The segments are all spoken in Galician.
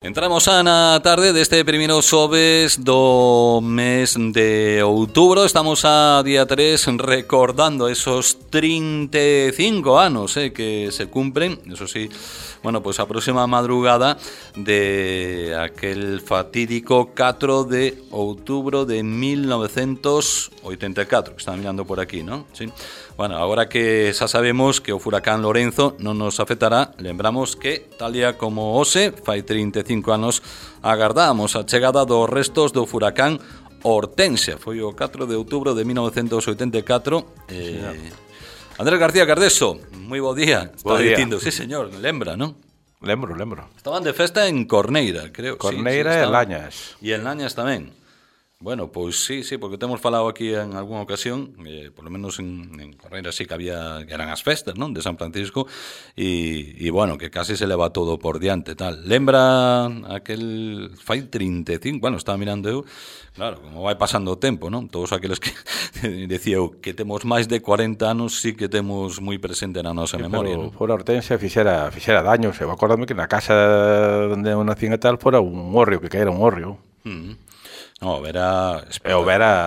Entramos na tarde deste primeiro xoves do mes de outubro. Estamos a día 3 recordando esos 35 anos que se cumpren. Eso sí, bueno, pues a próxima madrugada de aquel fatídico 4 de outubro de 1984. Que están mirando por aquí, ¿no? Sí. Bueno, agora que xa sabemos que o furacán Lorenzo non nos afectará, lembramos que, tal día como hoxe, fai 35 anos, agardábamos a chegada dos restos do furacán Hortensia. Foi o 4 de outubro de 1984. Andrés García Cardeso, moi bo día. Está dicindo, sí señor, lembra, non? Lembro. Estaban de festa en Corneira, creo. Corneira e Lañas. E en Lañas tamén. Bueno, pois sí, porque temos falado aquí en algunha ocasión, por lo menos en Correira sí que había, que eran as festas, non, de San Francisco, e bueno, que casi se leva todo por diante, tal. Lembra aquel, fai 35, bueno, estaba mirando eu, claro, como vai pasando o tempo, non? Todos aqueles que decía eu que temos máis de 40 anos sí que temos moi presente na nosa memoria, non? Fora Hortensia fixera daños, eu acordame que na casa onde eu nací e tal fora un hórreo, que caera un hórreo. No, era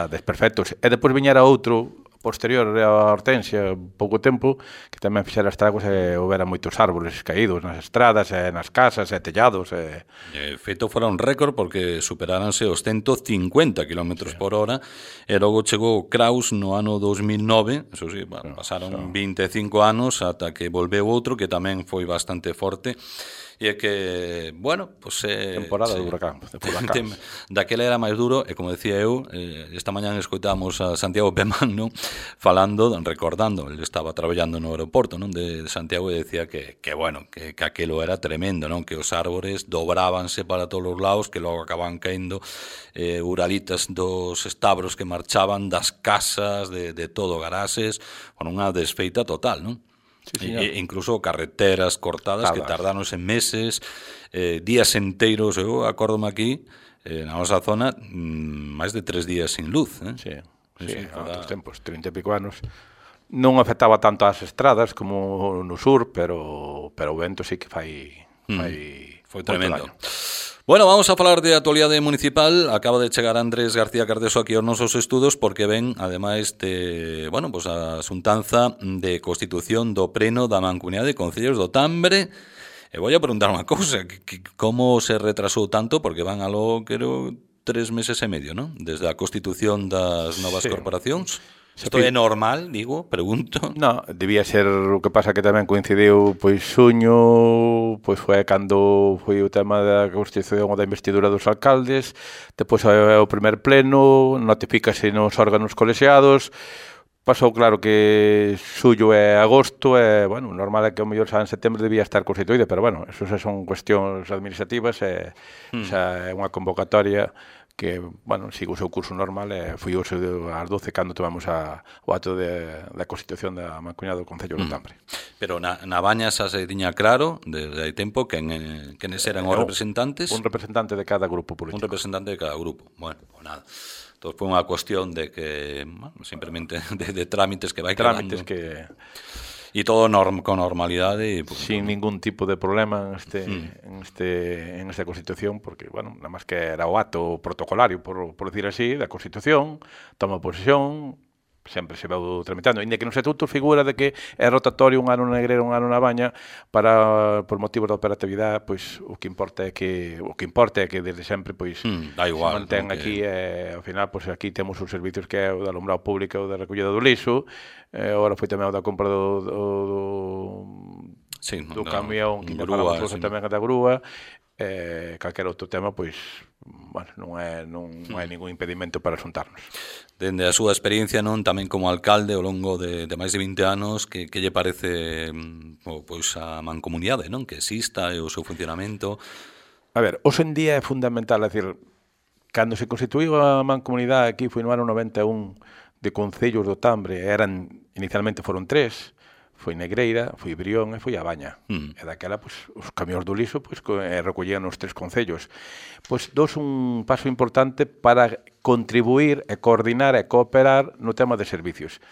desperfectos. E depois viñera outro posterior a Hortensia, pouco tempo, que tamén fixera estragos e houbera moitos árboles caídos nas estradas, e nas casas, e tellados. Feito fora un récord porque superáranse os 150 km por hora e logo chegou Kraus no ano 2009, eso sí, bueno, pasaron 25 anos ata que volveu outro que tamén foi bastante forte. E é que, bueno, pues, temporada do huracán. Daquela era máis duro, e como decía eu, esta mañá escoitamos a Santiago Pemán, non? Falando, recordando, ele estaba traballando no aeroporto, non? De Santiago, e decía que bueno, que aquilo era tremendo, non? Que os árbores dobrábanse para todos os lados, que logo acababan caendo uralitas dos estabros que marchaban, das casas, de todo, garaxes, con unha desfeita total, non? Sí, incluso carreteras cortadas que tardáronse meses, días enteiros. Eu acórdome aquí na nosa zona máis de 3 días sin luz, Sí, outros tempos, 30 e pico anos. Non afectaba tanto as estradas como no sur, pero o vento sí que foi tremendo. Bueno, vamos a falar de actualidade municipal. Acaba de chegar Andrés García Cardeso aquí aos nosos estudos porque ven, ademais de, bueno, pues a xuntanza de constitución do pleno da Mancomunidade de Concellos do Tambre. E vou a preguntar unha cousa, como se retrasou tanto, porque van aló, creo, 3 meses e medio, non? Desde a constitución das novas corporacións. Isto é normal, digo, pregunto. No, debía ser, o que pasa que tamén coincidiu, pois xuño, pois foi cando foi o tema da constitución ou da investidura dos alcaldes, depois o primer pleno, notifícase nos órganos colexiados, pasou claro que xullo e agosto, e, bueno, normal é que o mellor xa en setembro debía estar constituída, pero, bueno, eso xa son cuestións administrativas e xa é unha convocatoria que, bueno, sigo o seu curso normal e foi hoxe ás 12 cando tomamos o acto da Constitución da Mancomunidade do Concello do Tambre. Pero na Baña xa se tiña claro, desde hai tempo, quenes eran os representantes? Un representante de cada grupo político. Un representante de cada grupo. Bueno, pues nada. Entón foi unha cuestión de que, bueno, simplemente de trámites que vai quedando. Trámites que... E todo con normalidade. Sin ningún tipo de problema en esta Constitución, porque, bueno, nada máis que era o acto protocolario, por decir así, da Constitución, toma posesión, sempre se veu tramitando, ainda que nos estatutos figura de que é rotatorio un ano na Negrera, un ano na Baña, por motivos de operatividade, pois o que importa é que desde sempre pois da igual, se mantén aquí, ao final pois aquí temos os servicios que é o de alumbrado público, o de recollida do lixo, agora foi tamén o da compra do camión, que falamos tamén da grúa, calquera outro tema, pois, bueno, non hai ningún impedimento para xuntarnos. Dende a súa experiencia, non, tamén como alcalde ao longo de máis de 20 anos, que lle parece pois a mancomunidade, non, que exista e o seu funcionamento? A ver, hoxe en día é fundamental, é dicir, cando se constituíu a mancomunidade aquí foi no ano 91 de Concellos do Tambre, inicialmente foron 3, foi Negreira, foi Brión e foi a Baña. E daquela, pois, os camións do lixo recollían os 3 concellos. Pois dos un paso importante para contribuir e coordinar e cooperar no tema de servicios.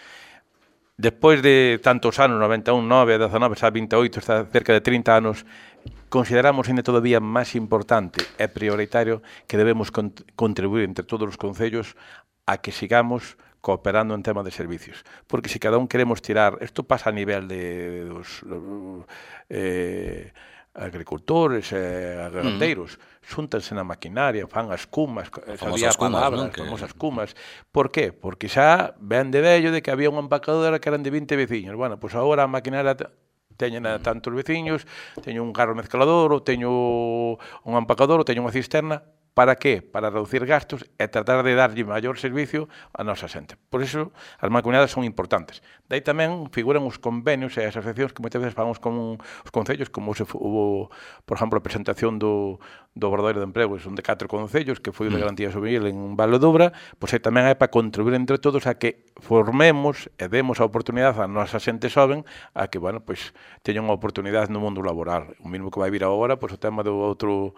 Despois de tantos anos, 91, 9, 19, xa 28, está cerca de 30 anos, consideramos ainda todavía máis importante e prioritario que debemos contribuir entre todos os concellos a que sigamos cooperando en tema de servicios. Porque se cada un queremos tirar, isto pasa a nivel de dos agricultores e gandeiros, xúntanse na maquinaria, fan as cumas, famosas cumas, ¿no? Famosas cumas. Por qué? Porque xa ven de vello de que había unha empacadora que eran de 20 veciños. Bueno, pois agora a maquinaria teñen a tantos veciños, teño un carro mezclador, ou teño un empacador, ou teño unha cisterna. Para qué? Para reducir gastos e tratar de darlle maior servicio a nosa xente. Por iso, as mancomunadas son importantes. Daí tamén figuran os convenios e as asociacións que moitas veces fagamos con os concellos, como se hubo, por exemplo, a presentación do Obradoiro de Emprego, son de 4 concellos, que foi o de Garantía Juvenil en Val de Dubra, pois aí tamén é para contribuir entre todos a que formemos e demos a oportunidade a nosa xente xoven a que, bueno, pois teñan unha oportunidade no mundo laboral. O mismo que vai vir agora, pois o tema do outro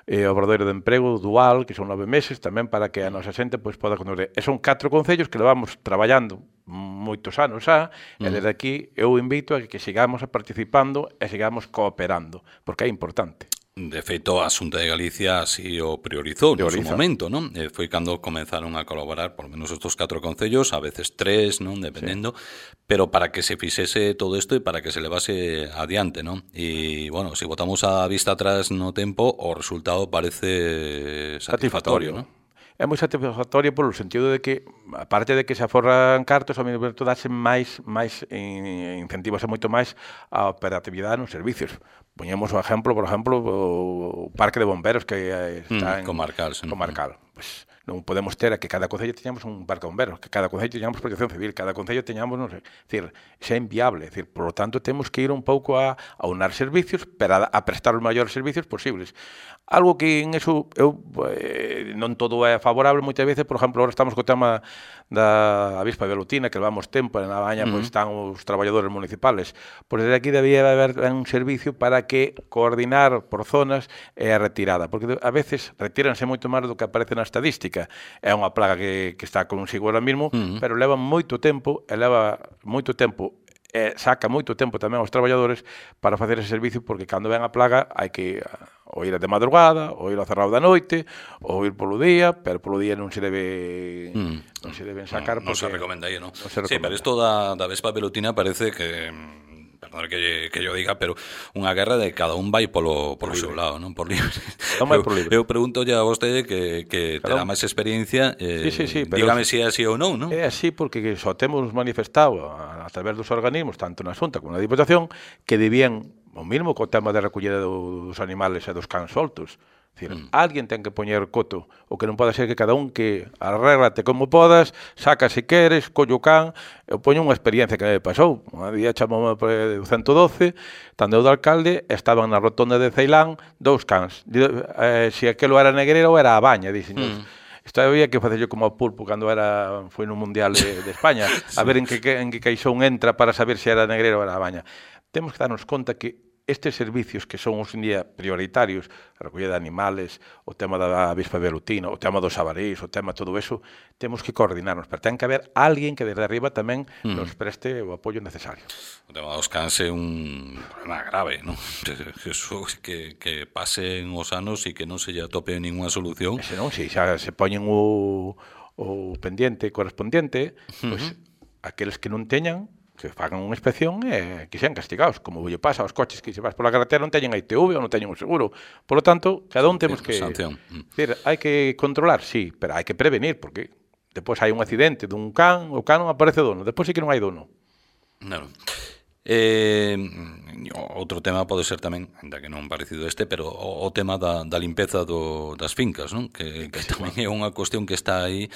Obradoiro de Emprego dual, que son 9 meses, tamén para que a nosa xente pois poda contribuir. E son 4 concellos que levamos traballando moitos anos xa, e desde aquí eu invito a que sigamos participando e sigamos cooperando, porque é importante. De feito, a Xunta de Galicia así o priorizou no seu momento, non? Foi cando comenzaron a colaborar, por menos estos 4 concellos, a veces 3, non? Dependendo, pero para que se fixese todo isto e para que se levase adiante, non? E, bueno, se botamos a vista atrás no tempo, o resultado parece satisfactorio, non? É moi satisfactorio polo sentido de que, aparte de que se aforran cartos, ao mesmo tempo dase máis incentivos moito máis a operatividade nos servicios. Poñemos o exemplo, por exemplo, o Parque de Bomberos que está en comarcal. Pues non podemos ter a que cada concello teñamos un parque de bomberos, que cada concello teñamos protección civil, cada concello teñamos, non sei, decir, xa é inviable, decir, por lo tanto temos que ir un pouco a unar servicios para a prestar os maiores servicios posibles. Algo que en eso eu non todo é favorable moitas veces, por exemplo, agora estamos co tema da avispa velutina, que levamos tempo en a baña, pois están os traballadores municipales. Pois desde aquí debía haber un servicio para que coordinar por zonas e a retirada, porque a veces retíranse moito máis do que aparece na estadística. É unha plaga que está consigo ahora mismo, pero leva moito tempo, saca moito tempo tamén aos traballadores para facer ese servicio, porque cando ven a plaga hai que ou ir de madrugada, ou ir ao cerrado da noite, ou ir polo día, pero polo día non se debe non se deben sacar, non se recomenda aí, non? Se recomenda. Sí, pero isto da vespa velutina parece que perdón que yo diga, pero unha guerra de cada un vai polo seu lado, non? Por libre. Eu pregunto ya a vostede que terá máis experiencia, sí, dígame se é así ou non, non? É así porque só temos manifestado a través dos organismos, tanto na Xunta como na Diputación, que debían, o mismo co tema de recollida dos animales e dos cans soltos. Decir, alguén ten que poñer coto, o que non pode ser que cada un que arréglate como podas, saca se queres, collo can. Eu poño unha experiencia que me pasou. Un día chamoume por 112, tando eu do alcalde, estaban na rotonda de Ceilán 2 cans. Se aquelo era negrero ou era a baña, dixen. Isto había que facerlo como a pulpo cando foi no Mundial de España, a ver en que caixón entra para saber se era negrero ou era a baña. Temos que darnos conta que estes servicios que son hoxe en día prioritarios, a recollida de animales, o tema da avispa velutina, o tema dos xabarís, o tema todo eso, temos que coordinarnos, pero ten que haber alguén que desde arriba tamén nos preste o apoio necesario. O tema dos cans é un problema grave, non? Que pasen os anos e que non se lle atope ninguna solución. Se non, se xa se poñen o pendiente correspondiente, pois aqueles que non teñan que fagan unha inspección e que sean castigados, como lle pasa aos coches que se vas pola carretera non teñen a ITV ou non teñen un seguro. Por lo tanto, cada un temos que... Decir, hai que controlar, sí, pero hai que prevenir, porque depois hai un accidente dun can, o can non aparece dono, depois sí que non hai dono. Claro. Outro tema pode ser tamén, ainda que non parecido pero o tema da limpeza das fincas, non? Que tamén é unha cuestión que está aí.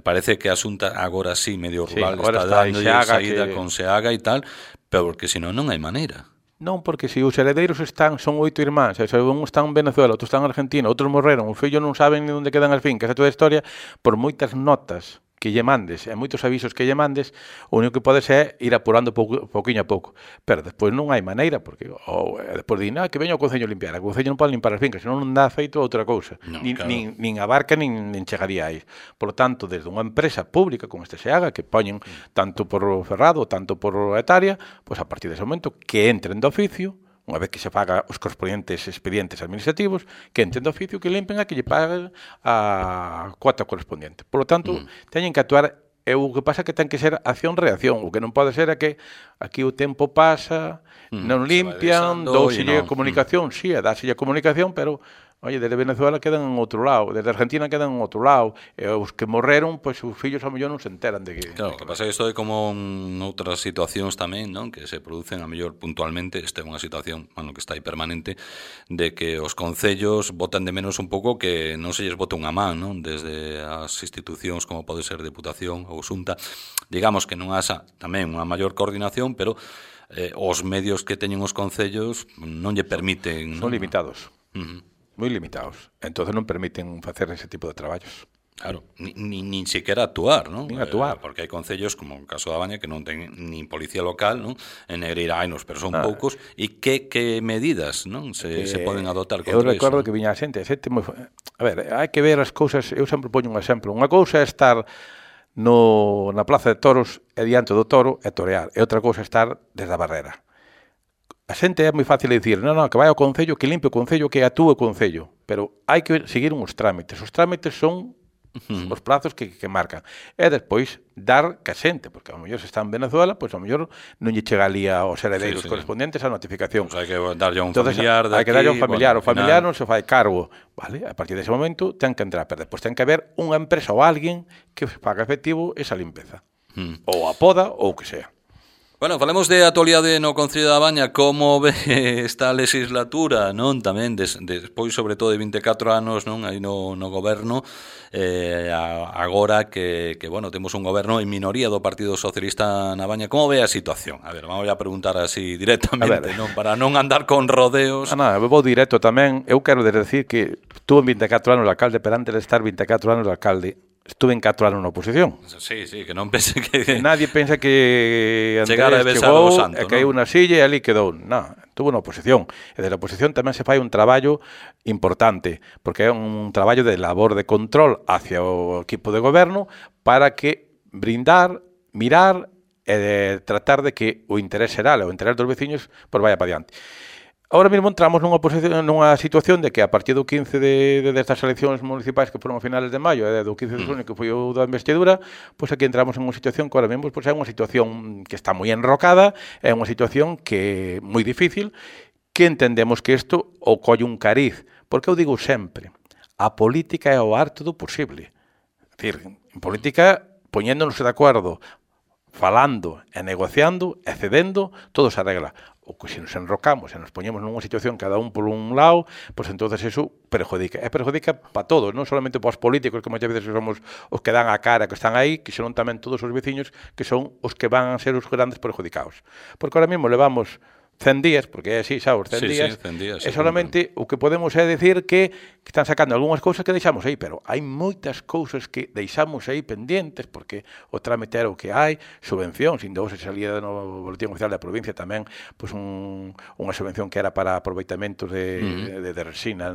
Parece que a Xunta agora sí, medio rural, está dando saída con Seaga e tal, pero porque senón non hai maneira. Non, porque se os heredeiros son 8 irmáns, un está en Venezuela, outro está en Argentina, outros morreron, os fillos non saben ni onde quedan as fincas, é toda a historia, por moitas notas que lle mandes, e moitos avisos que lle mandes, o único que podes é ir apurando pouquiño a pouco. Pero despois non hai maneira, porque despois din, que veña o Concello a limpiar. O Concello non pode limpar as fincas, senón non dá feito outra cousa. Nin abarca, nin chegaría aí. Por lo tanto, desde unha empresa pública como este Seaga, que poñen tanto por ferrado, tanto por hectárea, pois a partir dese momento que entren do oficio, unha vez que se faga os correspondientes expedientes administrativos, que entendo oficio que limpen a que lle paguen a cuota correspondiente. Por lo tanto, teñen que actuar. E o que pasa é que ten que ser acción-reacción. O que non pode ser é que aquí o tempo pasa, non limpian, douselle comunicación, sí, dáselle a comunicación, pero, oye, desde Venezuela quedan en outro lado, desde Argentina quedan en outro lado, e os que morreron, pois os fillos ao mellor non se enteran de que... Claro, o que pasa é que isto é como outras situacións tamén, non? Que se producen a mellor puntualmente, esta é unha situación, bueno, que está aí permanente, de que os concellos botan de menos un pouco que non se lles bota unha man, non? Desde as institucións como pode ser Deputación ou Xunta, digamos que non haxa tamén unha maior coordinación, pero os medios que teñen os concellos non lle permiten... Son limitados. Moi limitados. Entonces non permiten facer ese tipo de traballos. Claro, nin sequera actuar, non? Nin actuar. Porque hai concellos, como o caso da Baña, que non ten nin policía local, non? En Negreira hai nos, pero son poucos. E que medidas, non? Se poden adoptar contra iso? Eu recordo que viña a xente moi... A ver, hai que ver as cousas... Eu sempre poño un exemplo. Unha cousa é estar na Plaza de Toros e diante do toro e torear. E outra cousa é estar desde a barrera. A xente é moi fácil dicir, non, que vai ao concello, que limpe o concello, que atúe o concello. Pero hai que seguir uns trámites. Os trámites son os plazos que marcan. E despois dar que a xente, porque ao mellor se está en Venezuela, pois ao mellor non lle chega ali aos heredeiros correspondentes a notificación. Pues hai que darlle a un familiar de aquí. Hai que darlle a un familiar. O familiar non se fai cargo. Vale? A partir dese momento ten que entrar. Pero despois ten que haber unha empresa ou alguén que faga efectivo esa limpeza. Ou a poda ou o que sea. Bueno, falemos de actualidade no Concello da Baña, como ve esta legislatura, non? Tamén, despois, sobre todo, de 24 anos, non? Aí no goberno, agora que, bueno, temos un goberno en minoría do Partido Socialista na Baña, como ve a situación? A ver, vamos a preguntar así directamente, non? Para non andar con rodeos. Eu vou directo tamén. Eu quero decir que estuve en 24 anos de alcalde, pero antes de estar 24 anos de alcalde, estuve en 4 anos na oposición. Sí, que non pense que... Nadie pensa que Andrés chegou e caíu na silla e ali quedou. Non, estuvo na oposición. E desde a oposición tamén se fai un traballo importante, porque é un traballo de labor de control hacia o equipo de goberno para que brindar, mirar e tratar de que o interés xeral, o interés dos veciños, pois vaya para diante. Ahora mesmo entramos nunha situación de que a partir do 15 destas eleccións municipais que foron a finales de maio e do 15 de junio que foi o da investidura, pois aquí entramos en unha situación que ahora mesmo pois é unha situación que está moi enrocada, é unha situación que é moi difícil, que entendemos que isto o colle un cariz, porque eu digo sempre, a política é o arte do posible. É dicir, en política, poñéndonos de acordo, falando e negociando e cedendo, todo se arregla. O que se nos enrocamos e nos poñemos nunha situación cada un por un lado, pois entonces eso perjudica. E perjudica para todos, non solamente para os políticos, que moitas veces somos os que dan a cara, que están aí, que senón tamén todos os veciños, que son os que van a ser os grandes perjudicados. Porque ahora mesmo levamos 100 días, porque é así, sabes, 100 días, 100 días, e solamente o que podemos é decir que están sacando algunhas cousas que deixamos aí, pero hai moitas cousas que deixamos aí pendientes, porque o trámite era o que hai, subvencións, ainda hoxe salía no Boletín Oficial da provincia tamén, pois unha subvención que era para aproveitamentos de resina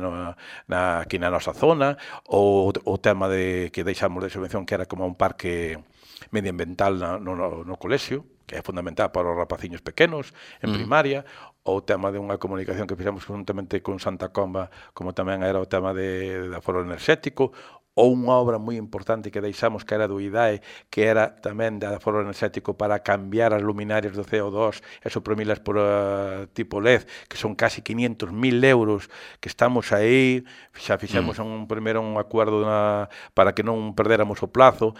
aquí na nosa zona, ou o tema de que deixamos de subvención que era como un parque medioambiental no colexio, que é fundamental para os rapaciños pequenos, en primaria, ou o tema de unha comunicación que fixemos conjuntamente con Santa Comba, como tamén era o tema de aforo enerxético, ou unha obra moi importante que deixamos que era do IDAE, que era tamén de aforo enerxético para cambiar as luminarias do CO2 e suprimilas por tipo LED, que son casi 500.000 euros, que estamos aí, xa fixemos primeiro un acordo para que non perdéramos o plazo,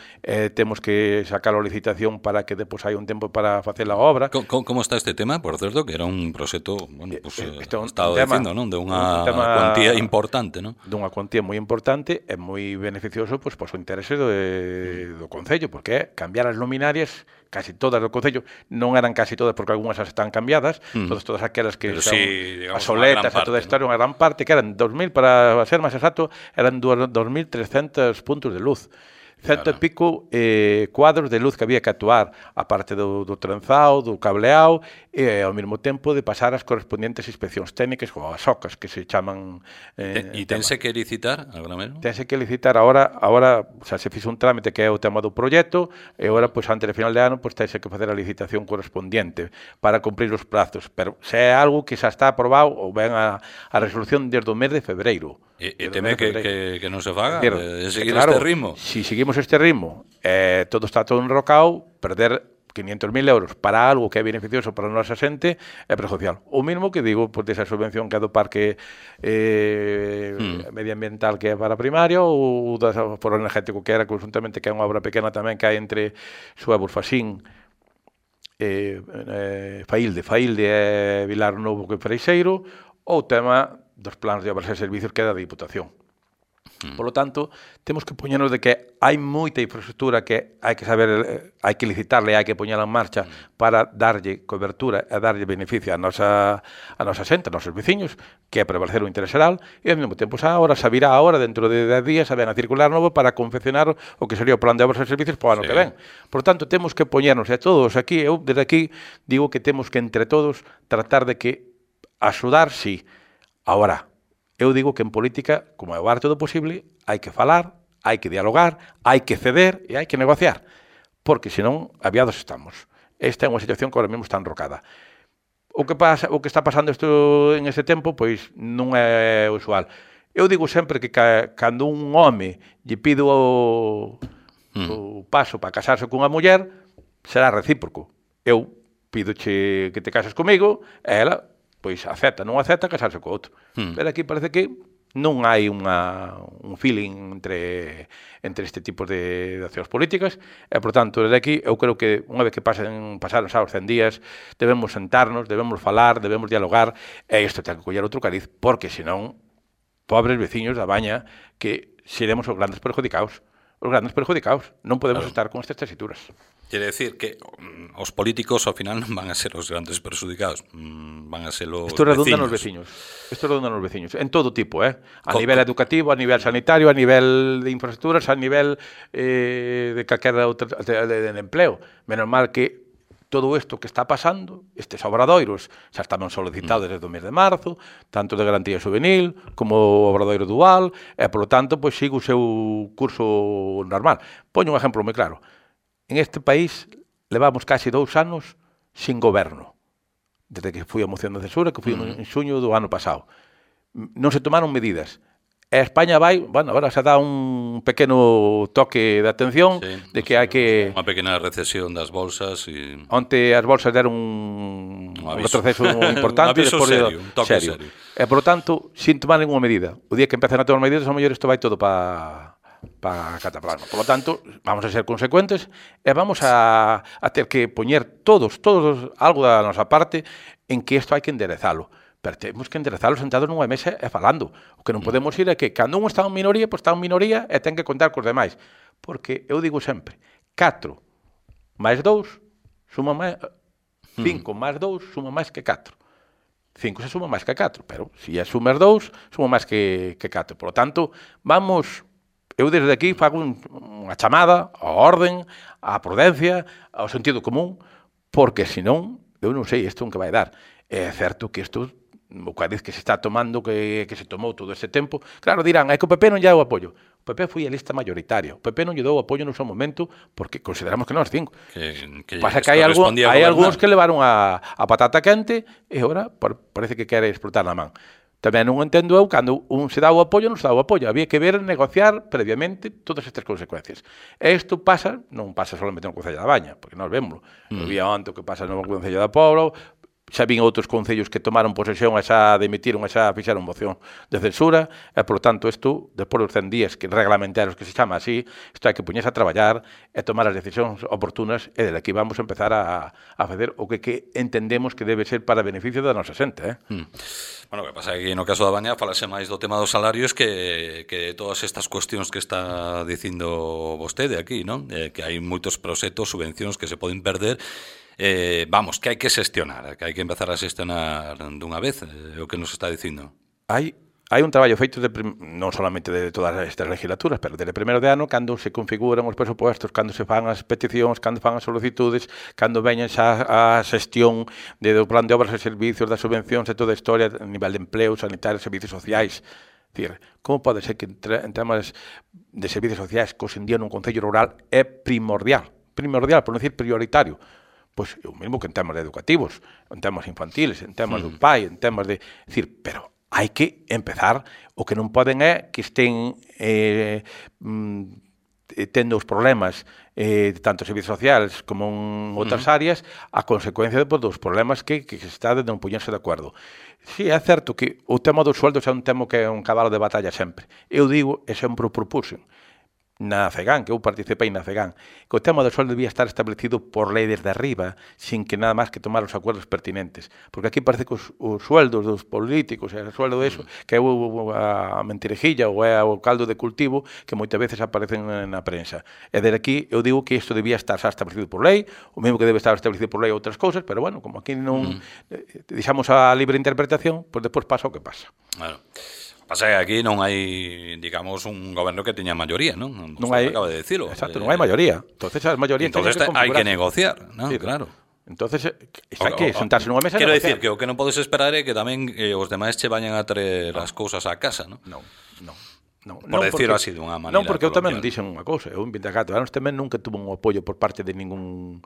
temos que sacar a licitación para que depois hai un tempo para facer a obra. Como está este tema, por certo, que era un proxecto, bueno, pues, estado dicindo, non? De unha cuantía importante, non? Dunha cuantía moi importante e moi beneficioso pois o interese do Concello, porque é cambiar as luminarias, casi todas do Concello, non eran casi todas porque algunhas están cambiadas, todas aquelas que pero son sí, as soletas e toda esta, unha gran parte, que eran 2.000, para ser máis exacto, eran 2.300 puntos de luz. cento e pico cuadros de luz que había que actuar, a parte do trenzado, do cableado, e ao mesmo tempo de pasar as correspondientes inspeccións técnicas, ou as OCAs, que se chaman... E tense que licitar agora mesmo? Tense que licitar agora, xa se fixo un trámite que é o tema do proxecto, e agora, pois, antes de final de ano, pois, tense que facer a licitación correspondiente para cumprir os prazos, pero se é algo que xa está aprobado, ou ven a resolución desde o mes de febreiro. E teme que non se faga? De seguir claro, este ritmo? Si seguimos este ritmo, todo está todo enrocado, perder 500.000 euros para algo que é beneficioso para a nosa xente é perjudicial. O mismo que digo, pois, desa subvención que é do parque medioambiental que é para primaria, ou do foro energético que era conjuntamente, que é unha obra pequena tamén que hai entre Suevos, Fasín, Failde e Vilar Novo que Freixeiro, ou o tema dos planos de obras e servicios que é da Diputación. Por lo tanto, temos que poñernos de que hai moita infraestructura que hai que saber, hai que licitarle, hai que poñela en marcha para darlle cobertura e darlle beneficio a nosa xente, a nosos veciños, que é prevalecer o interés xeral, e ao mesmo tempo agora se virá agora, dentro de 10 días, a ven a circular novo para confeccionar o que sería o plan de obras e servicios para o ano que ven. Por tanto, temos que poñernos, e todos aquí, eu desde aquí digo que temos que entre todos tratar de que axudar, sí. Agora, eu digo que en política, como é o arte do posible, hai que falar, hai que dialogar, hai que ceder e hai que negociar, porque senón aviados estamos. Esta é unha situación que ahora mesmo está enrocada. O que está pasando isto en ese tempo, pois non é usual. Eu digo sempre que cando un home lle pido o paso para casarse cunha muller, será recíproco. Eu pídoche que te cases comigo, e ela pois acepta, non acepta casarse co outro. Pero aquí parece que non hai un feeling entre este tipo de accións políticas, e, por tanto, desde aquí, eu creo que unha vez que pasaron xa os 100 días, debemos sentarnos, debemos falar, debemos dialogar, e isto ten que coller outro cariz, porque, senón, pobres veciños da Baña, que seremos os grandes perjudicados. Os grandes perjudicados. Non podemos estar con estas tesituras. Quere decir que os políticos ao final non van a ser os grandes perjudicados, van a ser os Isto redunda nos veciños. En todo tipo, a nivel educativo, a nivel sanitario, a nivel de infraestructuras, a nivel de calquera outra de empleo. Menos mal que todo isto que está pasando, estes obradoiros, xa estaban solicitados desde o mes de marzo, tanto de garantía juvenil como o obradoiro dual, e, polo tanto, pois sigo o seu curso normal. Poño un exemplo moi claro. En este país levamos casi 2 anos sin goberno, desde que foi a moción de censura, que foi en xuño do ano pasado. Non se tomaron medidas. E España vai, bueno, agora se dá un pequeno toque de atención de que hai que... Unha pequena recesión das bolsas e... Onte as bolsas deron un retroceso importante. Un aviso serio, un toque serio. E, por lo tanto, sin tomar ninguna medida. O día que empecen a tomar medidas, a mellor isto vai todo para cataplasma. Por lo tanto, vamos a ser consecuentes e vamos a ter que poñer todos algo da nosa parte en que isto hai que enderezalo. Pero temos que enderezalo sentados nunha mesa e falando. O que non podemos ir é que cando un está en minoría, pois está en minoría e ten que contar cos demais. Porque eu digo sempre, 4 máis 2 suma máis 5 máis 2 suma máis que 4. 5 se suma máis que 4, pero se sumas 2, suma máis que 4. Por lo tanto, vamos... Eu desde aquí fago unha chamada á orden, á prudencia, ao sentido común, porque senón, eu non sei isto en que vai dar. É certo que isto, o cariz que se está tomando, que se tomou todo ese tempo, claro, dirán, é que o PP non lle deu apoio. O PP foi a lista mayoritaria. O PP non lle deu apoio no seu momento porque consideramos que non as 5. Pasa que hai algúns que levaron a patata quente e agora parece que quere explotar na man. Tamén non entendo eu cando un se dá o apoio, non se dá o apoio. Había que ver, negociar previamente todas estas consecuencias. E isto pasa, non pasa solamente no Concello da Baña, porque nós vémoslo. Vía onte o que pasa no Concello da Pobra, xa vin outros concellos que tomaron posesión e xa demitiron e xa fixeron moción de censura, e, por lo tanto, isto, despois dos 100 días que reglamentarios que se chama así, isto hai que poñerse a traballar e tomar as decisións oportunas, e desde aquí vamos a empezar a facer o que entendemos que debe ser para beneficio da nosa xente, Bueno, o que pasa é que no caso da Baña falase máis do tema dos salarios que todas estas cuestións que está dicindo vostede aquí, non? Que hai moitos proxectos, subvencións que se poden perder. Vamos, que hai que xestionar, que hai que empezar a xestionar dunha vez, é o que nos está dicindo. Hai hai un traballo feito non solamente de todas estas legislaturas, pero desde primeiro de ano, cando se configuran os presupuestos, cando se fan as peticións, cando fan as solicitudes, cando veñen xa a xestión do plan de obras e servicios, das subvencións e toda a historia a nivel de empleo, sanitario, servicios sociais. Decir, como pode ser que en temas de servicios sociais que hoxe en día nun concello rural é primordial, por non dicir prioritario? Pois o mesmo que en temas educativos, en temas infantiles, en temas do pai, en temas de... Decir, pero hai que empezar, o que non poden é que estén tendo os problemas tanto servicios sociais como en outras áreas a consecuencia dos problemas que se está de non poñerse de acordo. Sí, é certo que o tema dos sueldos é un tema que é un cabalo de batalla sempre. Eu digo, e sempre o propuxen, na CEGAN, que eu participei na CEGAN, que o tema do sueldo debía estar establecido por lei desde arriba, sin que nada máis que tomar os acuerdos pertinentes. Porque aquí parece que os sueldos dos políticos, e o sueldo de eso, que é a mentirejilla ou é o caldo de cultivo que moitas veces aparecen na prensa. E desde aquí eu digo que isto debía estar xa establecido por lei, o mesmo que debe estar establecido por lei outras cousas, pero bueno, como aquí non deixamos a libre interpretación, pois despois pasa o que pasa. Claro. Pasa que aquí non hai, digamos, un goberno que teña maioría, non? Non hai, acaba de decirlo. Exacto, non hai maioría. Entonces as maiorías entonces hai que negociar, non? Sí, claro. Entonces, hai que sentarse nunha mesa e quero decir que o que non podes esperar é que tamén os demais che vayan a traer as cousas a casa, non? Non. Por decirlo así dunha maneira. Non, porque eu tamén dixen unha cousa. Eu en 24 anos tamén nunca tuve un apoio por parte de ningún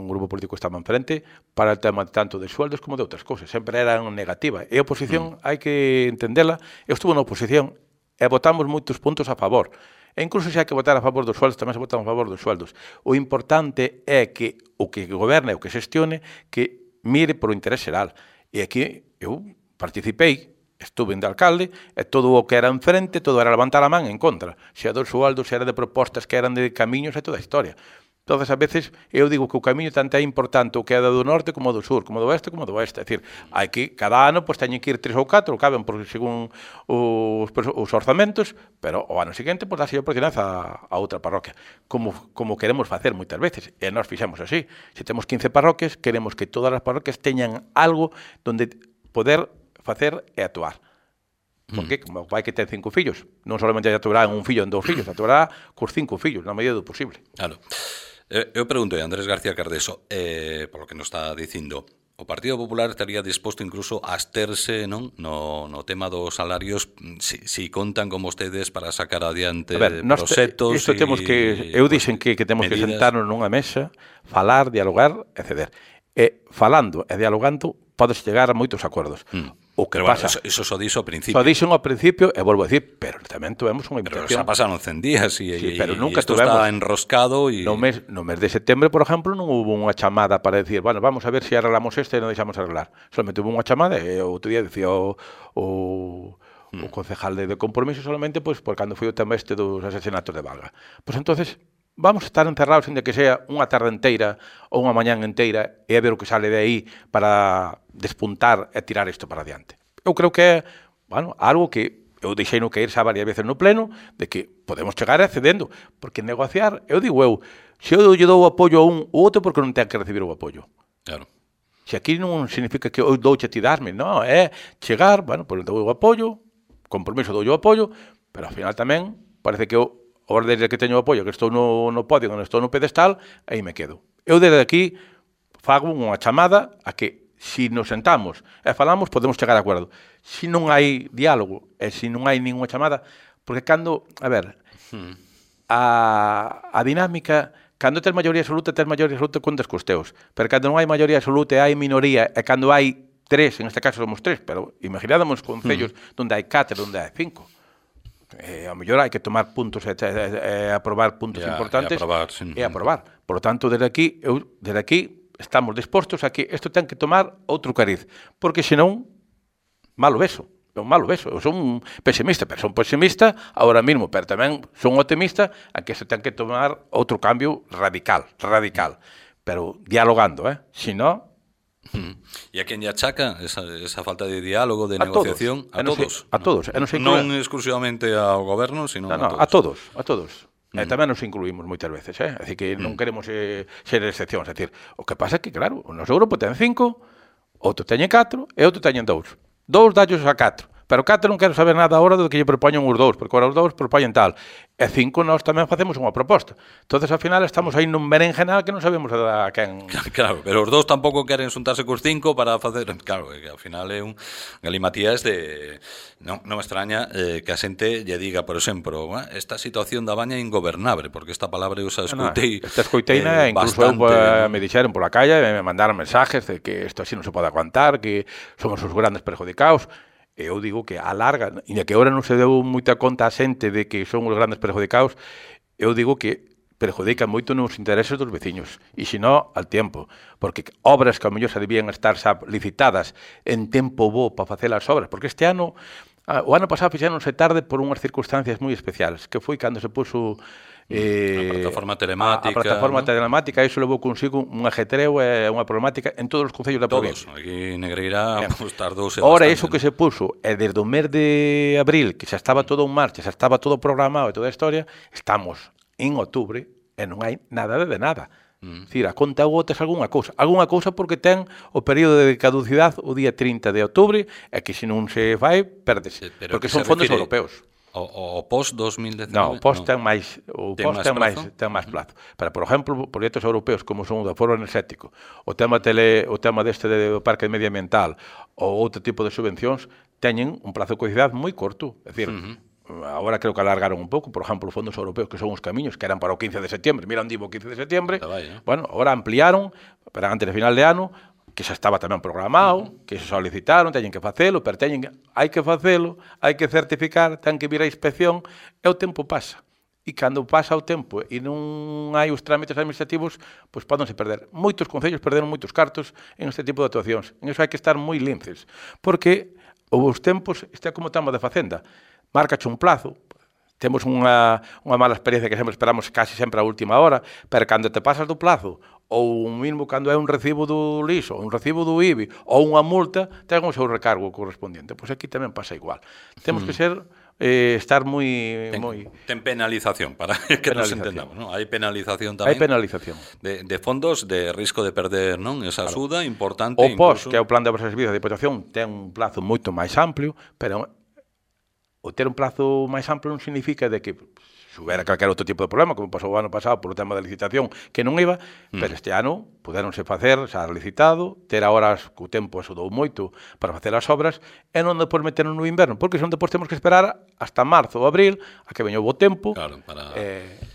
grupo político que estaba enfrente para el tema tanto de sueldos como de outras cousas. Sempre eran negativa. E a oposición hai que entendela. Eu estuve na oposición e votamos moitos puntos a favor. E incluso se hai que votar a favor dos sueldos, tamén se votan a favor dos sueldos. O importante é que o que goberne, o que xestione, que mire por o interés xeral. E aquí eu participei, estuve de alcalde, e todo o que era enfrente, todo era levantar a man en contra. Se a dos sueldos, se era de propostas que eran de camiños e toda a historia. Todas as veces eu digo que o camiño tanto é importante o que é do norte como do sur, como do oeste como do oeste. É dicir, hai que, cada ano, pois teñen que ir 3 ou 4, caben por según os orzamentos, pero o ano seguinte, pois dáse a oportunidade a outra parroquia. Como queremos facer moitas veces, e nós fixemos así. Se temos 15 parroquias, queremos que todas as parroquias teñan algo donde poder facer e actuar. Porque, como o pai que ten 5 fillos, non solamente actuará en un fillo, en 2 fillos, actuará cos 5 fillos, na medida do posible. Claro. Eu pregunto a Andrés García Cardeso, por lo que nos está dicindo, o Partido Popular estaría disposto incluso a absterse, non, no tema dos salarios, si contan con vostedes para sacar adiante proxectos. Isto temos que, eu dixen que temos medidas, que sentarnos nunha mesa, falar, dialogar e ceder. E falando e dialogando podes chegar a moitos acordos. O que pero pasa, bueno, eso só dixo ao principio. Só dixo ao principio, e volvo a decir, pero tamén tuvemos unha invitación. Pero xa pasaron 100 días e pero nunca isto está enroscado. No mes de setembro, por exemplo, non hubo unha chamada para decir, bueno, vamos a ver se arreglamos isto e non deixamos arreglar. Solamente hubo unha chamada e o outro día decía o concejal de compromiso solamente pois por cando foi o tema este dos asesinatos de Valga. Pois entonces vamos a estar encerrados ainda que sea unha tarde inteira ou unha mañán inteira e a ver o que sale de aí para despuntar e tirar isto para adiante. Eu creo que é, bueno, algo que eu deixei no caer xa varias veces no pleno, de que podemos chegar accedendo, porque negociar, eu digo se eu lle dou o apoio a un ou outro, porque non ten que recibir o apoio. Claro. Se aquí non significa que eu douche a ti darme, non, é chegar, bueno, pois dou o apoio, compromiso dou o apoio, pero ao final tamén parece que eu ahora desde que teño o apoio, que estou no podio, que estou no pedestal, aí me quedo. Eu desde aquí fago unha chamada a que se nos sentamos e falamos, podemos chegar a acordo. Se non hai diálogo e se non hai ninguna chamada, porque cando, a ver, a dinámica, cando tes maioría absoluta contas cos teus, pero cando non hai maioría absoluta e hai minoría, e cando hai 3, en este caso somos 3, pero imaginádamos concellos onde hai 4, onde hai 5. A mellor hai que tomar puntos e aprobar puntos importantes e aprobar. Por lo tanto, desde aquí estamos dispostos a que isto ten que tomar outro cariz, porque senón malo beso. Eu son un pesimista, pero son pesimista ahora mismo, pero tamén son optimista a que isto ten que tomar outro cambio radical, pero dialogando, senón. E a quen lle achaca esa falta de diálogo, de negociación? A todos. A todos. Non exclusivamente ao goberno, sino a todos. E tamén nos incluímos moitas veces, é dicir, que non queremos ser excepcións. É dicir, o que pasa é que, claro, o noso grupo ten 5, outro teñen 4 e outro teñen 2. 2 dallos a 4. Pero 4 non quero saber nada agora do que lle propoñen os 2, porque agora os 2 propoñen tal. E 5 nós tamén facemos unha proposta. Entonces, ao final, estamos aí nun berenjenal que non sabemos a quen... Claro, pero os 2 tampouco queren xuntarse cos 5 para facer... Claro, que ao final é un galimatías de... Non me extraña que a xente lle diga, por exemplo, esta situación da Baña é ingobernable, porque esta palabra eu xa escoitei... Esta escoiteina, incluso me dixeron pola calle, me mandaron mensajes de que isto así non se pode aguantar, que somos os grandes perjudicados. E eu digo que a larga, e que agora non se deu moita conta a xente de que son os grandes perjudicados, eu digo que perjudican moito nos intereses dos veciños, e se non, al tempo, porque obras que ao mellor se debían estar xa licitadas en tempo bo para facer as obras, porque este ano, o ano pasado fixéronse tarde por unhas circunstancias moi especiales, que foi cando se puxo a plataforma telemática. A plataforma telemática, iso levou consigo un ajetreo e unha problemática en todos os concellos da provincia. Todos, aquí en Negreira tardouse bastante. Ora, iso que se puso, e desde o mes de abril, que xa estaba todo en marcha, xa estaba todo programado e toda a historia, estamos en outubro e non hai nada de nada. Dicir, a conta gotas algunha cousa porque ten o período de caducidade o día 30 de outubro e que se non se vai, pérdese, porque son fondos europeos. O post-2019? Non, o post ten máis plazo. Pero, por exemplo, proxectos europeos como son o do Foro Enerxético, o tema deste do Parque Medioambiental ou outro tipo de subvencións, teñen un plazo de caducidade moi corto. É dicir, agora creo que alargaron un pouco, por exemplo, os fondos europeos que son os camiños, que eran para o 15 de setembro, mira onde iba o 15 de setembro, bueno, agora ampliaron, para antes de final de ano, que xa estaba tamén programado, que se solicitaron, teñen que facelo, pero hai que facelo, hai que certificar, ten que vir a inspección, e o tempo pasa. E cando pasa o tempo e non hai os trámites administrativos, pois pódense perder. Moitos concellos perderon moitos cartos en este tipo de actuacións. En iso hai que estar moi linces, porque os tempos, isto é como tema de Facenda, márcache un plazo, temos unha mala experiencia que sempre esperamos casi sempre a última hora, pero cando te pasas do plazo, ou mesmo cando é un recibo do lixo, un recibo do IBI, ou unha multa, ten o seu recargo correspondiente. Pois aquí tamén pasa igual. Temos que estar moi... Ten penalización, para que nos entendamos, non? Hai penalización tamén. Hai penalización. De fondos de risco de perder, non? Esa axuda importante. O POS, que é o Plan de Obras e Servizos de Diputación, ten un plazo moito máis amplio, pero o ter un plazo máis amplio non significa de que se houbera calquer outro tipo de problema, como pasou o ano pasado polo tema da licitación, que non iba, pero este ano puderonse facer, xa licitado, ter agora que o tempo axudou moito para facer as obras, e non depois meternos no inverno, porque senón depois temos que esperar hasta marzo ou abril a que veña o bo tempo. Claro,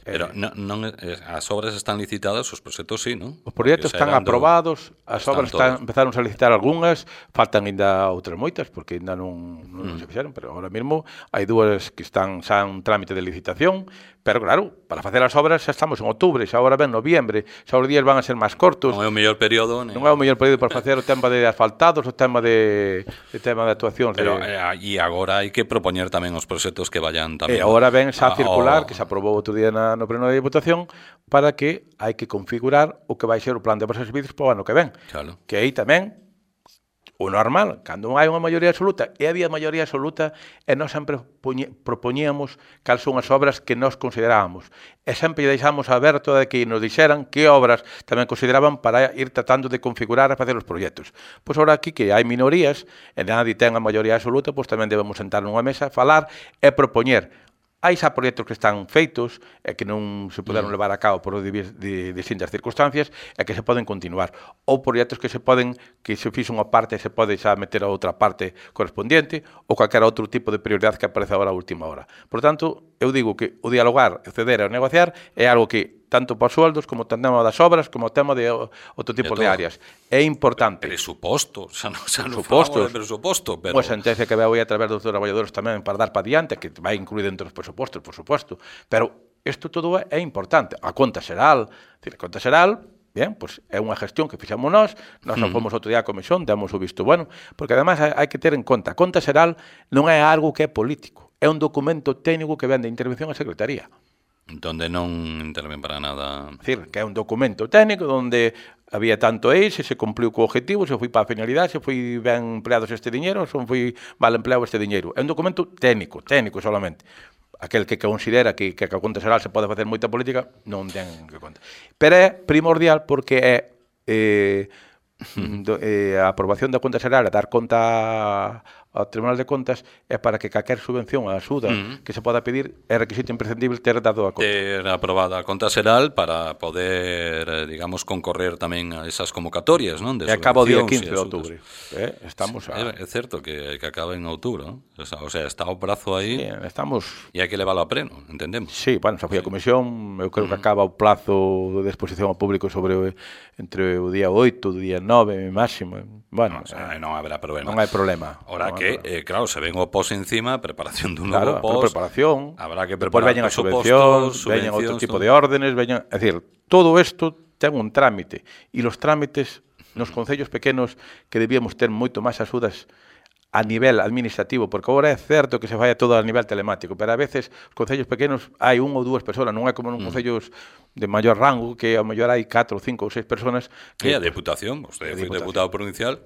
pero as obras están licitadas, os proxectos sí, non? Os proxectos están aprobados, as obras empezaron a licitar algunhas, faltan ainda outras moitas, porque ainda non se fixeron, pero ahora mesmo hai dúas que están xa en trámite de licitación, pero claro, para facer as obras xa estamos en outubro, xa agora ven noviembre, xa os días van a ser máis cortos. Non é o mellor período. Non é o mellor período para facer o tema de asfaltados, o tema de actuacións. Pero e agora hai que propoñer tamén os proxectos que vayan tamén. E agora ven xa circular, que se aprobou outro día no pleno de Diputación, para que hai que configurar o que vai ser o plan de obras e servizos para o ano que ven. Claro. Que aí tamén o normal, cando non hai unha maioría absoluta, e había maioría absoluta, e nós sempre propoñíamos cal son as obras que nós considerábamos. E sempre deixamos aberto de que nos dixeran que obras tamén consideraban para ir tratando de configurar e facer os proxectos. Pois agora aquí que hai minorías, e nadie ten a maioría absoluta, pois tamén debemos sentar nunha mesa, falar e propoñer. Hai xa proxectos que están feitos e que non se poderon levar a cabo por distintas circunstancias e que se poden continuar. Ou proxectos que se fixo unha parte e se pode xa meter a outra parte correspondiente ou calquera outro tipo de prioridade que aparece agora a última hora. Por tanto, eu digo que o dialogar, o ceder e o negociar é algo que tanto para os sueldos, como o tema das obras, como o tema de outro tipo de áreas. É importante. Presuposto, xa non falamos de presuposto. Unha sentencia que veo aí a través dos traballadores tamén para dar para diante, que vai incluir dentro dos presupostos, por suposto. Pero isto todo é importante. A conta xeral, bien, pois é unha gestión que fixamos nós non fomos outro día a comisión, damos o visto bueno, porque además hai que ter en conta, a conta xeral non é algo que é político, é un documento técnico que ven de intervención a Secretaría. Donde non interven para nada. É dicir, que é un documento técnico onde había tanto eixe, se cumpliu co objetivo, se foi para a finalidade, se foi ben empleados este diñeiro, se foi mal empleado este diñeiro. É un documento técnico solamente. Aquel que considera que a conta xeral se pode facer moita política, non ten que conta. Pero é primordial porque é a aprobación da conta xeral, a dar conta ao Tribunal de Contas é para que calquer subvención a axuda que se poda pedir é requisito imprescindible ter dado a conta. Ter aprobada a conta xeral para poder, digamos, concorrer tamén a esas convocatorias, non? E acaba o día 15 de outubro. Estamos é certo que acaba en outubro, non? O sea, está o prazo aí. Sí, estamos... E hai que leválo a pleno, entendemos. Sí, bueno, xa foi a comisión, eu creo que acaba o plazo de exposición ao público sobre entre o día 8 e o día 9 máximo. Bueno, non haberá problema. Non hai problema. Ora que, claro, se ven o POS encima, preparación dun novo POS. Preparación. Habrá que preparar veñen as subvencións, veñen outro tipo de órdenes, veñen, é dicir, todo isto ten un trámite e os trámites nos concellos pequenos que debíamos ter moito máis axudas a nivel administrativo, porque agora é certo que se vai a todo a nivel telemático, pero a veces os concellos pequenos hai un ou dúas persoas, non é como nos concellos de maior rango, que ao mellor hai 4, 5 ou 6 persoas que a Deputación, vostede foi deputado provincial,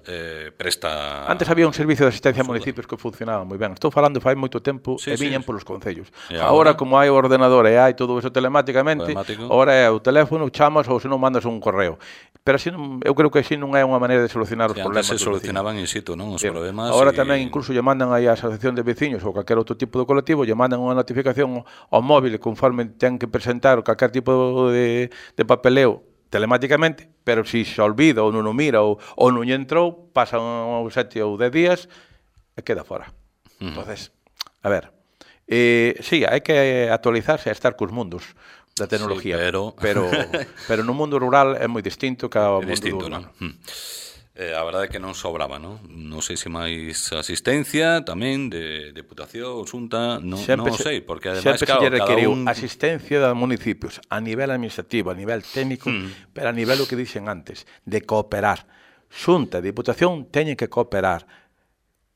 presta... Antes había un servicio de asistencia a municipios que funcionaba moi ben. Estou falando fai moito tempo e viñan polos concellos. Agora, como hai o ordenador e hai todo eso telemáticamente, agora é o teléfono, chamas ou se non mandas un correo. Pero así eu creo que así non é unha maneira de solucionar os problemas. Antes se solucionaban in situ, non? Os problemas. Agora tamén incluso lle mandan aí a asociación de veciños ou calquer outro tipo de colectivo, lle mandan unha notificación ao móvil conforme ten que presentar calquer tipo de papeleo telemáticamente, pero se olvida ou non o mira ou non lle entrou, pasan 7 ou 10 días e queda fora. Entonces, a ver, sí, hai que actualizarse e estar cos mundos da tecnología, pero no mundo rural é moi distinto que ao mundo urbano. A verdade é que non sobraba, non? Non sei se máis asistencia tamén de Deputación, Xunta, non sei, porque ademais, claro, cada un... asistencia dos municipios a nivel administrativo, a nivel técnico, pero a nivel o que dixen antes, de cooperar. Xunta e Deputación teñen que cooperar,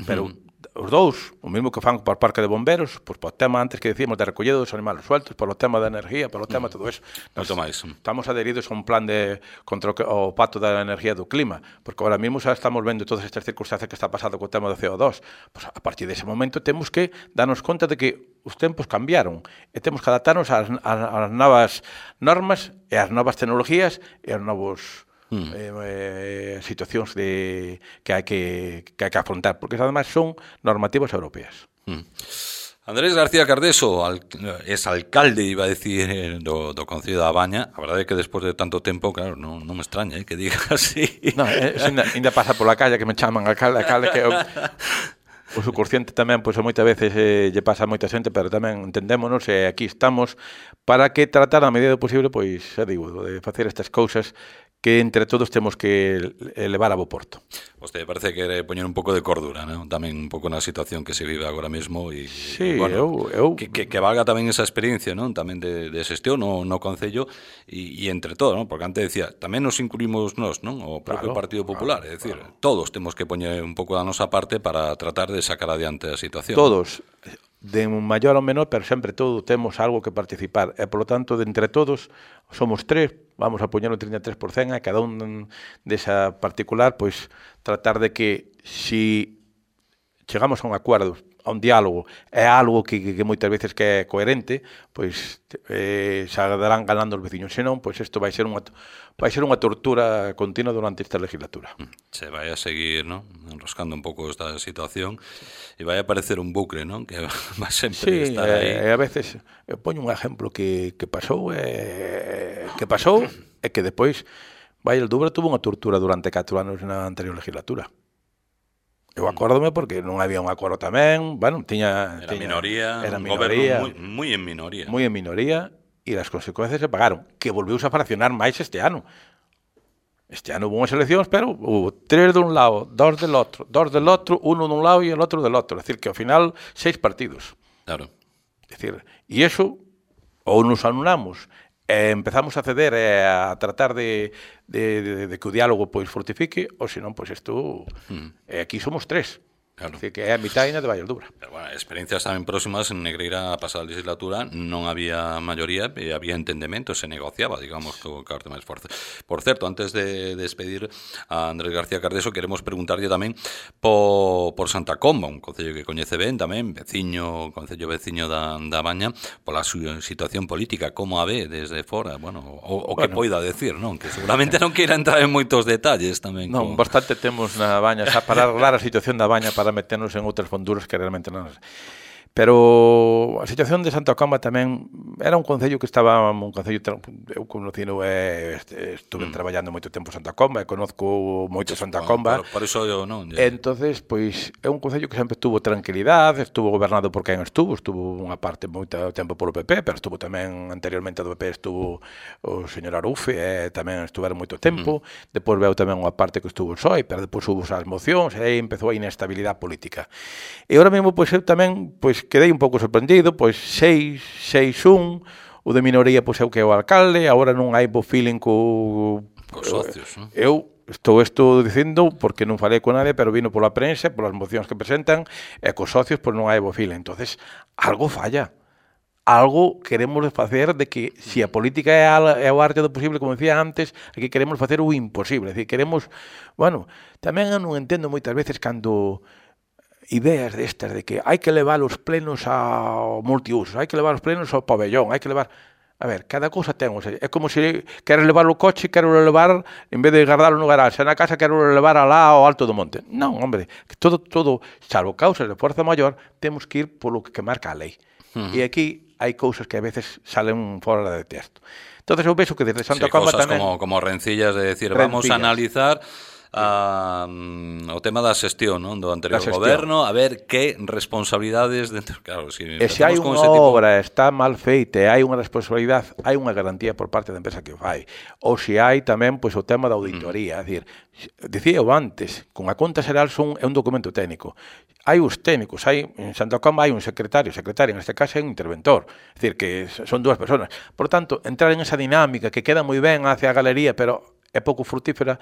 pero os dous, o mesmo que fan por Parque de Bomberos, pois por tema antes que decíamos de recollida dos animales sueltos, por o tema da energía, por o tema de todo eso. Estamos adheridos a un plan de contra o pacto da energía do clima, porque ahora mesmo xa estamos vendo todas estas circunstancias que está pasando co tema do CO2. Pois a partir dese momento temos que darnos conta de que os tempos cambiaron e temos que adaptarnos ás novas normas e ás novas tecnologías e aos novos situacións que hai que afrontar, porque además son normativas europeas. Andrés García Cardeso, alcalde, iba a decir, do Concello da Baña. A verdade é que despois de tanto tempo, claro, non me extraña que diga así. Non, ainda pasa pola calle que me chaman alcalde que o subconsciente tamén, pois moitas veces lle pasa a moita xente, pero tamén entendémonos e aquí estamos para que tratar a medida do posible, pois, xa digo, de facer estas cousas que entre todos temos que levar a bo porto. Vostede parece que quere poñer un pouco de cordura, non? Tamén un pouco na situación que se vive agora mesmo e sí, bueno, que valga tamén esa experiencia, non? Tamén de xestión no Concello e entre todo, non? Porque antes decía, tamén nos incluímos nós, non? O propio Partido Popular, é dicir, todos temos que poñer un pouco da nosa parte para tratar de sacar adiante a situación. Todos, de un maior ou menor, pero sempre todos temos algo que participar e, polo tanto, de entre todos somos tres, vamos a poñer un 33% a cada un desa particular, pois tratar de que si chegamos a un acordo, a un diálogo, é algo que moitas veces que é coherente, pois xa darán ganando os veciños, senón, pois isto vai ser unha tortura continua durante esta legislatura. Se vai a seguir, ¿no?, enroscando un pouco esta situación e vai a aparecer un bucle, ¿no?, que vai sempre estar aí. A veces, eu poño un exemplo que pasou e que despois Valle Dubra tuvo unha tortura durante 4 anos na anterior legislatura. Eu acórdome porque non había un acordo tamén, bueno, era minoría, moi en minoría. Moi en minoría, e as consecuencias se pagaron, que volveuse a fraccionar máis este ano. Este ano hubo unhas eleccións, pero hubo 3 dun lado, 2 del outro, 1 dun lado e el outro del outro. É dicir, que ao final 6 partidos. Claro. É dicir, e iso, ou nos anulamos, empezamos a ceder a tratar de que o diálogo pois fortifique, ou senón, pois isto, aquí somos 3. Claro. Así que é a mitad de Valle Dubra. Pero bueno, experiencias tamén próximas en Negreira a pasada legislatura non había maioría e había entendemento, se negociaba, digamos, co arte máis forte. Por certo, antes de despedir a Andrés García Cardeso, queremos preguntarlle tamén por Santa Comba, un concello que coñece ben tamén, concello veciño da Baña, pola súa situación política, como a ve desde fora, bueno, o que poida decir, non? Que seguramente non queira entrar en moitos detalles tamén. Non, bastante temos na Baña, xa para arreglar a situación da Baña para meternos en outras fonduras que realmente non. Pero a situación de Santa Comba tamén era un concello que estaba un concello, eu conocino estuve traballando moito tempo en Santa Comba e conozco moito Santa Comba. Por iso eu non. Entonces, pois é un concello que sempre tuvo tranquilidade, estuvo gobernado por quen estuvo unha parte moito tempo polo PP, pero estuvo tamén anteriormente do PP estuvo o señor Arufe, tamén estuveron moito tempo. Depois veu tamén unha parte que estuvo o PSOE, pero depois hubo as mocións e aí empezou a inestabilidade política. E ahora mesmo pois eu tamén pois quedei un pouco sorprendido, pois 6-1, o de minoría pois é o que é o alcalde, agora non hai bo feeling cos socios, non? Eu estou dicindo porque non falei con nadie, pero vino pola prensa, polas mocións que presentan, e cos socios pois non hai bo feeling. Entonces, algo falla. Algo queremos facer de que, se a política é o arte do posible, como decía antes, aquí queremos facer o imposible. É dicir, queremos, bueno, tamén eu non entendo moitas veces cando ideas destas de que hai que levar os plenos ao multiuso, hai que levar os plenos ao pabellón, hai que levar... A ver, cada cousa ten, o sea, é como se queres levar o coche, quero levar, en vez de guardarlo no garaxe, na casa quero levar alá ao alto do monte. Non, hombre, todo, salvo causas de forza maior, temos que ir polo que marca a lei. E aquí hai cousas que a veces salen fora de texto. Entonces eu penso que desde Santa Comba tamén... como rencillas de decir, vamos a analizar o tema da xestión, non, do anterior goberno, a ver que responsabilidades dentro, claro, se hai unha obra está mal feita e hai unha responsabilidade, hai unha garantía por parte da empresa que o fai. Ou se hai tamén pois o tema da auditoría, é dicir, dicía eu antes, con a conta xeral é un documento técnico. Hai os técnicos, en Santa Comba hai un secretario, en este caso é un interventor, é dicir, que son dúas persoas. Por tanto, entrar en esa dinámica que queda moi ben hacia a galería, pero é pouco frutífera.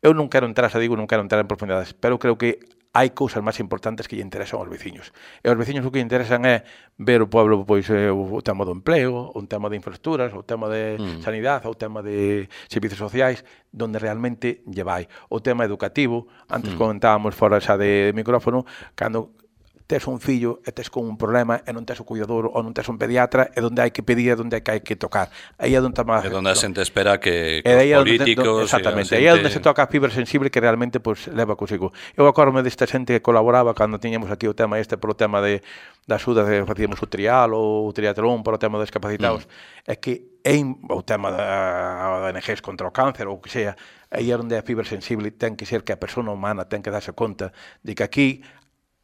Eu non quero entrar, non quero entrar en profundidades, pero creo que hai cousas máis importantes que lle interesan aos veciños. E aos veciños o que lle interesan é ver o pueblo, pois, o tema do empleo, o tema de infraestructuras, o tema de sanidade, o tema de servicios sociais, donde realmente lle vai. O tema educativo, antes comentábamos fora xa de micrófono, cando tes un fillo e tes con un problema e non tes o cuidador ou non tes un pediatra, é onde hai que pedir, é onde hai que tocar. Aí é onde a xente espera que os políticos... Exactamente, aí é onde se toca a fibra sensible que realmente pues, leva consigo. Eu acordo-me desta xente que colaboraba cando tiñamos aquí o tema polo tema da axuda que facíamos o trial ou o triatlón para o tema dos discapacitados, é que o tema da ONGs contra o cáncer ou o que sea, aí é onde a fibra sensible ten que ser que a persona humana ten que darse conta de que aquí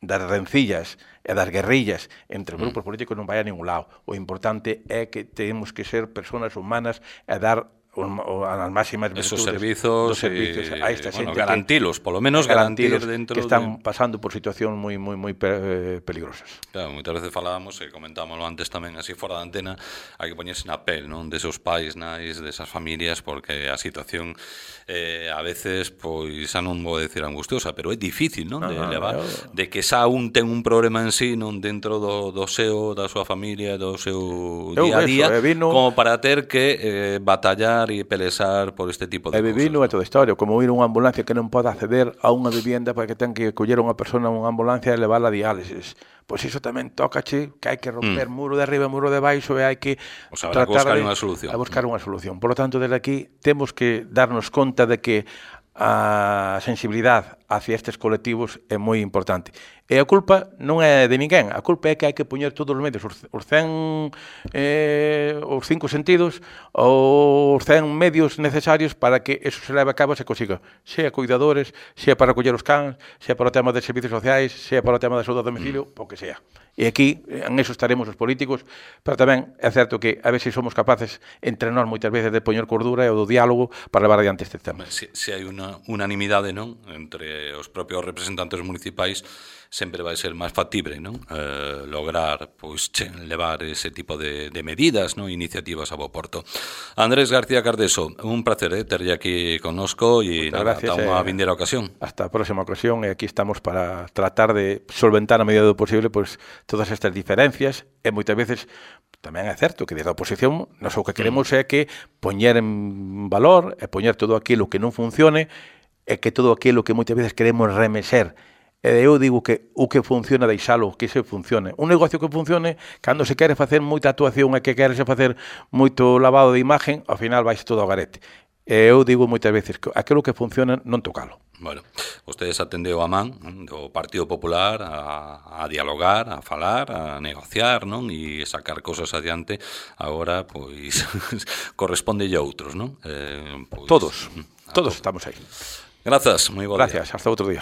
das rencillas e das guerrillas entre os grupos políticos non vai a ningún lado. O importante é que temos que ser personas humanas e dar as máximas esos servizos a esta xente, garantilos, polo menos garantir dentro que están pasando por situacións moi peligrosas. Claro, moitas veces falábamos e comentámoslo antes tamén así fora da antena, hai que poñerse na pel, non, desos pais, nais, desas familias, porque a situación a veces, pois, xa non vou decir angustiosa, pero é difícil, non, de levar, de que xa un ten un problema en sí, non, dentro do seu, da súa familia, do seu día a día, como para ter que batallar e pelesar por este tipo de cousas. E vivino é toda a historia, como ir unha ambulancia que non pode acceder a unha vivienda porque ten que coller unha persona unha ambulancia e levarla a diálisis. Pois iso tamén tócache, que hai que romper muro de arriba, muro de baixo e hai que tratar de buscar unha solución. Por lo tanto, desde aquí temos que darnos conta de que a sensibilidade hacia estes colectivos é moi importante. E a culpa non é de ninguén, a culpa é que hai que poñer todos os medios, os 5 sentidos, os 100 medios necesarios para que eso se leve a cabo e se consiga. Sea cuidadores, sea para coller os cans, sea para o tema de servicios sociais, sea para o tema da saúde a domicilio, o que sea. E aquí, en eso estaremos os políticos, pero tamén é certo que a veces somos capaces, entre nós moitas veces, de poñer cordura e o do diálogo para levar adiante este tema. Se hai unha unanimidade, non, entre os propios representantes municipais, sempre vai ser máis factible, non? Lograr, pois, levar ese tipo de medidas, non? Iniciativas a bo porto. Andrés García Cardeso, un placer terlle aquí connosco e ata unha vindeira ocasión. Hasta a próxima ocasión, e aquí estamos para tratar de solventar a medida do posible pois todas estas diferencias, e moitas veces tamén é certo que desde a oposición nós o que queremos é que poñer en valor e poñer todo aquilo que non funcione e que todo aquilo que moitas veces queremos remexer. E eu digo que o que funciona deixalo, que se funcione. Un negocio que funcione, cando se quere facer moita actuación e que quere se facer moito lavado de imagen, ao final vais todo ao garete. Eu digo moitas veces que aquilo que funciona non tocalo. Bueno, vostedes atendeu a man do Partido Popular a dialogar, a falar, a negociar, non? E sacar cosas adiante. Agora, pois, corresponde a outros, non? Todos estamos aí. Grazas, moi bo día. Gracias, hasta outro día.